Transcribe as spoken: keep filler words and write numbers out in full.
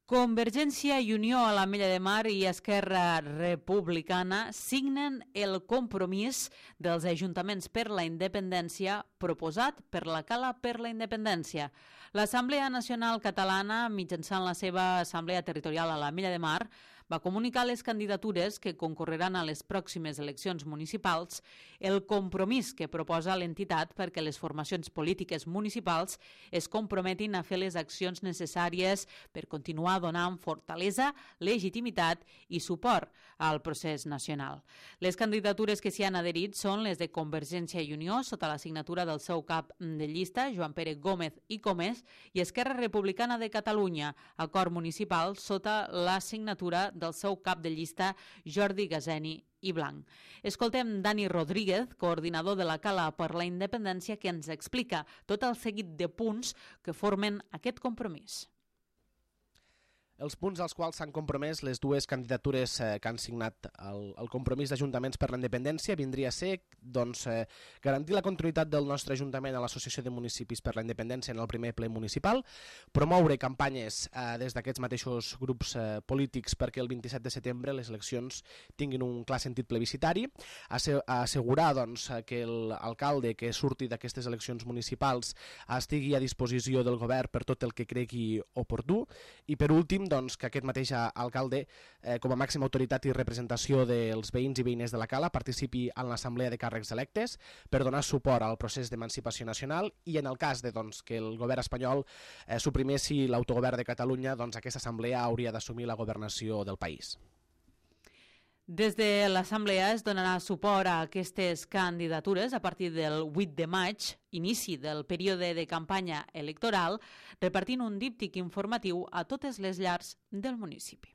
Convergència i Unió a l'Ametlla de Mar i Esquerra Republicana signen el compromís dels ajuntaments per la independència proposat per la Cala per la Independència. L'Assemblea Nacional Catalana, mitjançant la seva Assemblea Territorial a l'Ametlla de Mar, va comunicar les candidatures que concorreran a les pròximes eleccions municipals, el compromís que proposa l'entitat perquè les formacions polítiques municipals es comprometin a fer les accions necessàries per continuar donant fortalesa, legitimitat i suport al procés nacional. Les candidatures que s'hi han adherit són les de Convergència i Unió, sota la signatura del seu cap de llista, Joan Pere Gómez i Comés, i Esquerra Republicana de Catalunya, acord municipal, sota la signatura del seu cap de llista, Jordi Gazeni i Blanc. Escoltem Dani Rodríguez, coordinador de la Cala per la Independència, que ens explica tot el seguit de punts que formen aquest compromís. Els punts als quals s'han compromès les dues candidatures eh, que han signat el, el compromís d'Ajuntaments per la Independència vindria a ser doncs, eh, garantir la continuïtat del nostre Ajuntament a l'Associació de Municipis per la Independència en el primer ple municipal, promoure campanyes eh, des d'aquests mateixos grups eh, polítics perquè el vint-i-set de setembre les eleccions tinguin un clar sentit plebiscitari, assegurar doncs, que l'alcalde que surti d'aquestes eleccions municipals estigui a disposició del govern per tot el que cregui oportú i, per últim, doncs, que aquest mateix alcalde, eh, com a màxima autoritat i representació dels veïns i veïnes de la Cala, participi en l'assemblea de càrrecs electes per donar suport al procés d'emancipació nacional i, en el cas de doncs, que el govern espanyol eh, suprimessi l'autogovern de Catalunya, doncs aquesta assemblea hauria d'assumir la governació del país. Des de l'Assemblea es donarà suport a aquestes candidatures a partir del vuit de maig, inici del període de campanya electoral, repartint un díptic informatiu a totes les llars del municipi.